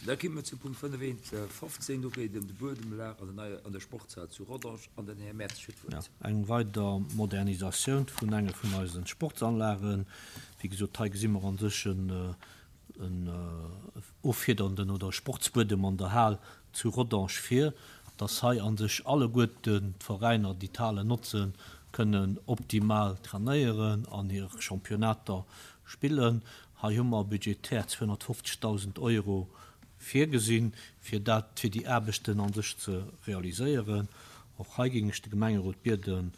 Da ki mer zum Punkt 5.1.15, do geet et ëm de Buedembelag an der neier, an der Sportshal zu Rodange an den Här Mertz huet d'Wuert. Eng weider Modernisatioun vun enge vun eise Sportsanlagen. Wéi gesot, hei gesi mer an sech en offiedernden oder Sportsbuedem an der Hal zu Rodange vir, dass hei an sech alleguerten d'Veräiner, déi d'Halen notzen, kënnen optimal trainéieren an hir Championnater spillen. Hei hu mer budgetär 250.000 Euro virgesinn, fir dat, fir déi Aarbechten a sech ze realiséieren. Och hei géing ech de Gemengerot bieden,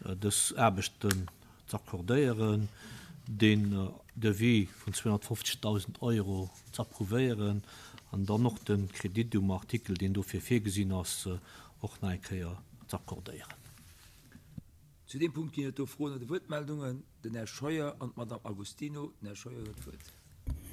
dës Aarbechten z'accordéieren, deen Devis vun 250.000 Euro z'approuvéieren an dann och de Kredit um Artikel, deen dofir virgesinn ass, och nach eng Kéier z'accordéieren. Zu deem Punkt ginn et do Froen oder Wuertmeldungen. Den Här Scheuer an d'Madame Agostino. Den Här Scheuer huet d'Wuert.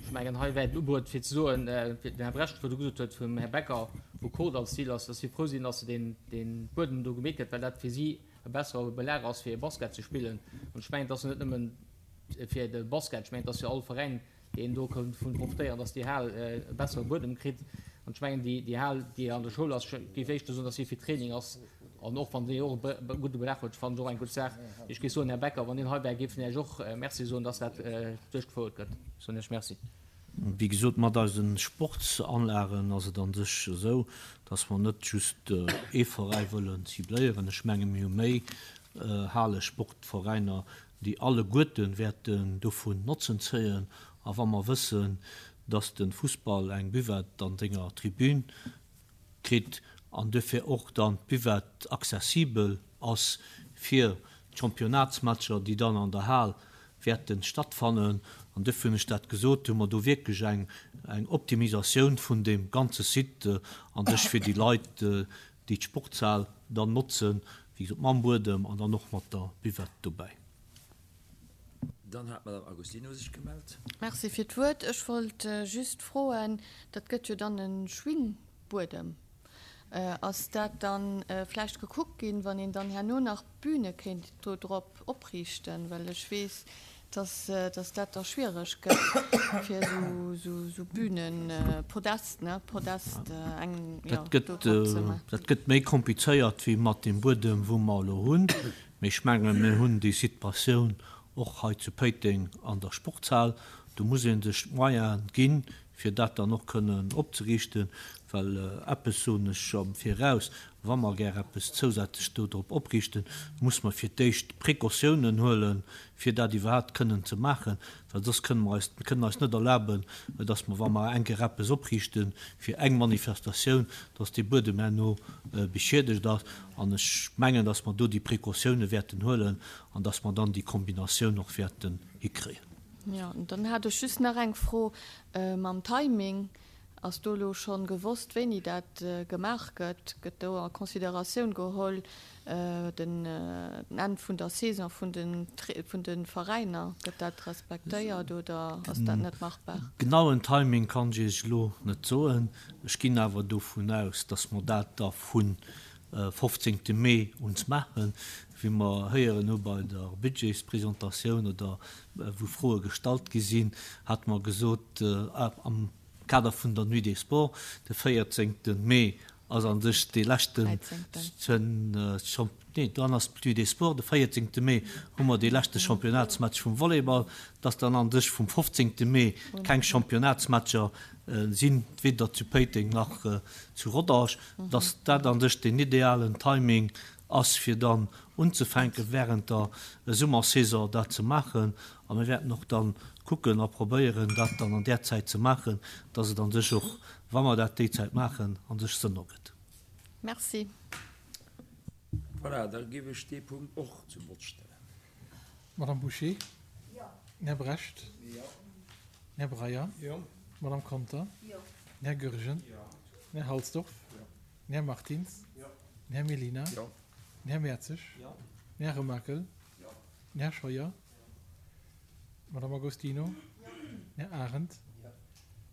Ech mengen, hei wär et ubruet fir ze soen, fir den Här Brecht virdu gesot huet vum Här Becker, wou Kordall als Zil ass, dass si frou sinn, dass se deen, dee Buedem do gemeet gëtt, well dat fir si e bessere Belag ass fir Basket ze spillen. An ech mengen, et ass jo net nëmmen fir de Basket, ech mengen, et ass fir all Veräin, deen do kënnt vun profitéieren, dass déi Hal e bessere Buedem kritt. An ech mengen, déi, déi Hal, déi an der Schoul ass, ech géif éischter soen, dass si fir Training ass. An och wann déi och e gudde Belag huet, fannen ech och eng gutt Saach. Ech géif soen, Här Becker, wann Dir hei wäert, géif en Iech och Merci soen, dass dat duerchgefouert gëtt. Ech soen Iech Merci. Wéi gesot, mat eise Sportsanlagen ass et a sech esou, dass mer net just ee Veräi wëllen cibléieren. Ech menge mir hu méi Hale Sportveräiner, déi alleguerte wäerten dovun Notzen zéien. A wa mer wëssen, dass de Fussball eng Buvette an senger Tribün kritt an duerfir och dann d'Buvette accessibel ass fir d'Championnatsmatcher, déi dann an der Hal wäerte stattfannen, an duerfir hunn ech dat gesot, hu mer do wierklech eng Optimisatioun vun deem ganze Site an sech fir déi Leit, déi d'Sportshal dann notzen, wéi gesot mam Buedem an dann och mat der Buvette dobäi. Dann hat d'Madame Agostino sech gemellt. Merci fir d'Wuert. Ech wollt just froen, dat gëtt jo dann e Schwingbuedem. Ass dat dann vläicht gekuckt ginn, wann een dann herno nach Büne kéint do drop opriichten? Well ech weess, dass dass dat da schwiereg gëtt fir esou esou Bünen, Podest, ne, Podest eng, jo, Dat gëtt, do drop ze maachen. dat gëtt méi komplizéiert wéi mat deem Buedem, wou mer elo hunn. Mee ech mengen, mir hunn déi Situatioun och hei zu Péiteng an der Sportshal. Do muss ee sech d'Moyene ginn, fir dat dann och kënnen opzeriichten, well eppes soen ech am Viraus, wa mer gär eppes zousätzlech do drop opriichten, muss mer fir d'éischt Précautiounen huelen, fir dat iwwerhaapt kënnen ze maachen, well soss kënnen mer eis, kënnen eis net erlaben, dass mer, wa mer eng Kéier eppes opriichte fir eng Manifestatioun, dass dee Buedem herno beschiedegt ass. An ech mengen, dass mer do déi Précautiounen wäerten huelen an dass mer dann déi Kombinatioun och wäerten hikréien. Jo, an dann hat ech just nach eng Fro mam Timing. Ass do elo schonn gewosst, wéini dat gemaach gëtt? Gëtt do a Consideratioun geholl den Enn vun der Saison vun de Veräiner? Gëtt dat respektéiert oder ass dat net machbar? Genauen Timing kann ech Iech elo net soen. Ech ginn awer dovun aus, dass mer dat da vun 15 Mee un maachen, wéi mer héieren hu bei der Budgetspresentatioun oder wou Froe gestallt gi sinn, hate mer gesot am Kader vun der Nuit des Sports, de 14 Mee ass a sech dee leschten, nee dann ass d'Nuit des Sports, de 14 Mee hu mer dee leschte Championnatsmatch vum Volleyball, dass dann a sech vum 15 Mee keng Championnatsmatcher sinn, weder zu Péiteng nach zu Rodange. dass dat an sech deen idealen Timing ass fir dann unzefänken während der Summersaison dat ze maachen a mir wäerten och dann kucken a probéieren dat dann an där Zäit ze maachen, dass et an sech och, wa mer dat déi Zäit maachen, an sech Sënn ergëtt. Merci. Voilà, da géif ech dee Punkt och zum Vott stellen. Madame Bouché? Jo. Den Här Brecht? Jo. Den Här Breyer? Jo. D'Madame Conter? Jo. Den Här Goergen? Jo. Den Här Halsdorf? Jo. Den Här Martins? Jo. Den Här Mellina? Jo. Den Här Mertzig? Jo. Den Här Remakel? Jo. Den Här Scheuer? Jo. D'Madame Agostino? Jo. Den Här Arendt? Jo.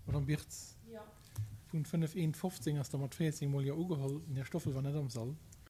D'Madame Birtz? Jo. Punkt 5, 1, 15 ass da mat 14 mol Jo ugeholl. Den Här Stoffel war net am Sall.